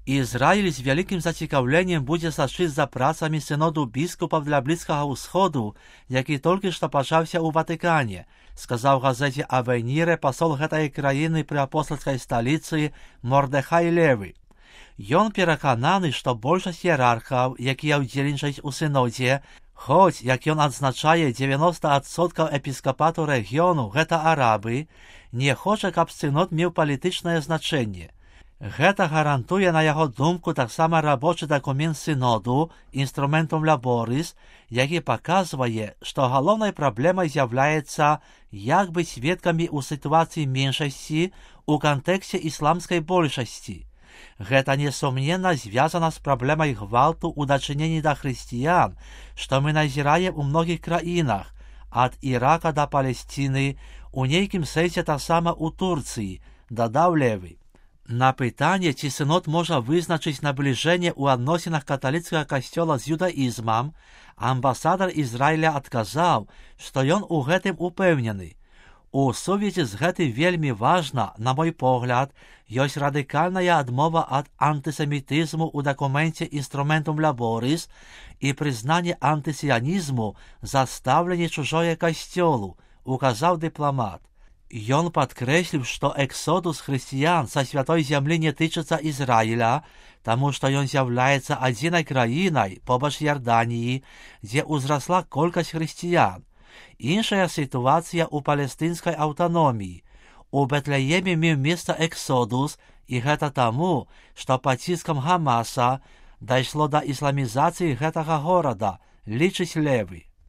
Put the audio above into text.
Ізраїль з великим зацікавленням буде сачити за працами синоду біскупів для Близького Сходу, який тільки що почався у Ватикані, сказав газеті «Авеніре» посол гэтай країни при апостольській столиці Мордехай Леві. Ён перакананы, што большасць іерархаў, якія ўдзельнічаюць у сінодзе, хоць, як ён адзначае, 90% епіскапату рэгіёну гэта арабы, не хоча, каб сінод меў палітычнае значэнне. Гэта гарантуе, на яго думку, таксама рабочы дакумент сіноду «Instrumentum Laboris», які паказвае, што галоўнай праблемай з'яўляецца як быць сведкамі ў сітуацыі меншасці ў кантэксце ісламскай большасці. Гэта несумненна звязана з праблемай гвалту ў дачыненні да хрысціян, што мы назіраем у многіх краінах, ад Ірака да Палесціны, у нейкім сэнсе таксама ў Турцыі, дадаў Леві. На пытанне, ці сінод можа вызначыць набліжэнне ў адносінах каталіцкага касцёла з юдаізмам, амбасадар Ізраіля адказаў, што ён у гэтым упэўнены. У сувязі з гэтым вельмі важна, на мой погляд, ёсць радыкальная адмова ад антысемітызму ў дакуменце «Instrumentum Laboris» і прызнанне антысіянізму за стаўленне чужое касцёлу, указаў дыпламат. Ён падкрэсліў, што эксодус хрысціян са святой зямлі не тычыцца Ізраіля, таму што ён з'яўляецца адзінай краінай побач Ярданіі, дзе ўзрасла колькасць хрысціян. Іншая сітуацыя ў палестынскай аўтаноміі. У Бэтлееме меў месца эксодус, і гэта таму, што пад ціскам Хамаса дайшло да ісламізацыі гэтага горада, лічыць Леві.